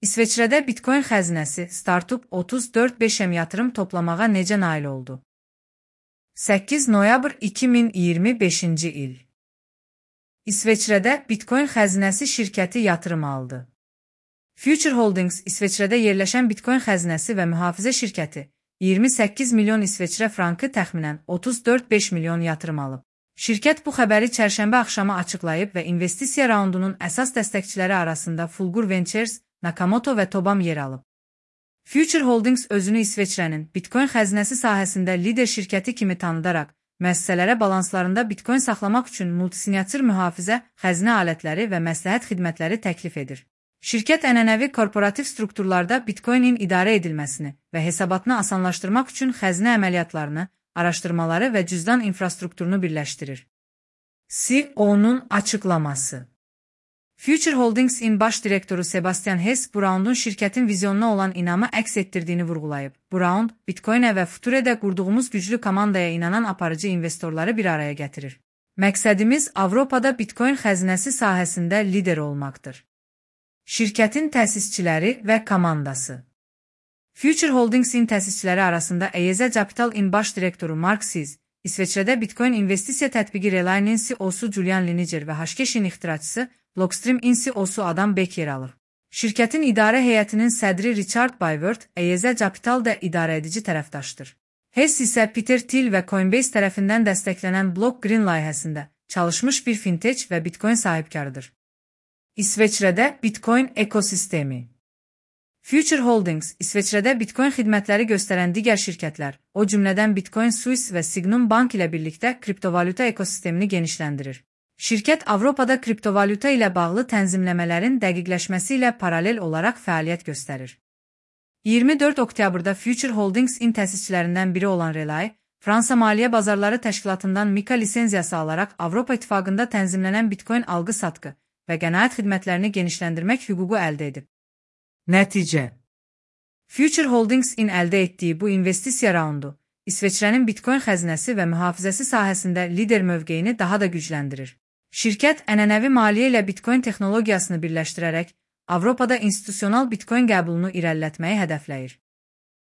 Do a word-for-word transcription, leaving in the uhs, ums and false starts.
İsveçrədə Bitcoin xəzinəsi Startup otuz dörd beş m yatırım toplamağa necə nail oldu? səkkiz noyabr iki min iyirmi beşinci il. İsveçrədə Bitcoin xəzinəsi şirkəti yatırım aldı. Future Holdings İsveçrədə yerləşən Bitcoin xəzinəsi və mühafizə şirkəti iyirmi səkkiz milyon İsveçrə frankı təxminən otuz dörd beş milyon yatırım alıb. Şirkət bu xəbəri çərşənbə axşamı açıqlayıb və investisiya raundunun əsas dəstəkçiləri arasında Fulgur Ventures, Nakamoto və Tobam yer alıb. Future Holdings özünü İsveçrənin Bitcoin xəzinəsi sahəsində lider şirkəti kimi tanıdaraq, müəssisələrə balanslarında Bitcoin saxlamaq üçün multisinyatur mühafizə, xəzinə alətləri və məsləhət xidmətləri təklif edir. Şirkət ənənəvi korporativ strukturlarda Bitcoinin idarə edilməsini və hesabatını asanlaşdırmaq üçün xəzinə əməliyyatlarını, araşdırmaları və cüzdan infrastrukturunu birləşdirir. C E O'nun açıqlaması. Future Holdings'in baş direktoru Sebastian Hess bu raundun şirkətin vizyonuna olan inamı əks etdirdiyini vurğulayıb. Bu raund, Bitcoin'ə və Future'də qurduğumuz güclü komandaya inanan aparıcı investorları bir araya gətirir. Məqsədimiz Avropada Bitcoin xəzinəsi sahəsində lider olmaqdır. Şirkətin təsisçiləri və komandası. Future Holdings'in təsisçiləri arasında E Y Z Capital'in baş direktoru Mark Siz, İsveçrədə Bitcoin investisiya tətbiqi Reline'in C E O'su Julian Liniger və Hashkeshin ixtiraçısı Blockstream'in C E O'su Adam Beck yer alır. Şirkətin idarə heyətinin sədri Richard Byword, E Y Z Capital da idarə edici tərəfdaşdır. Hess isə Peter Thiel və Coinbase tərəfindən dəstəklənən Block Green layihəsində çalışmış bir fintech və Bitcoin sahibkarıdır. İsveçrədə Bitcoin ekosistemi. Future Holdings, İsveçrədə Bitcoin xidmətləri göstərən digər şirkətlər, o cümlədən Bitcoin Suisse və Signum Bank ilə birlikdə kriptovalyuta ekosistemini genişləndirir. Şirkət Avropada kriptovalyuta ilə bağlı tənzimləmələrin dəqiqləşməsi ilə paralel olaraq fəaliyyət göstərir. iyirmi dörd oktyabrda Future Holdings'in təsisçilərindən biri olan Relay, Fransa Maliyyə Bazarları Təşkilatından Mika lisenziyası alaraq Avropa İttifaqında tənzimlənən Bitcoin alqı-satqı və qənaət xidmətlərini genişləndirmək hüququ əldə edib. Nəticə. Future Holdings'in əldə etdiyi bu investisiya raundu, İsveçrənin Bitcoin xəzinəsi və mühafizəsi sahəsində lider mövqeyini daha da gücləndirir. Şirkət ənənəvi maliyyə ilə Bitcoin texnologiyasını birləşdirərək, Avropada institusional Bitcoin qəbulunu irəlilətməyi hədəfləyir.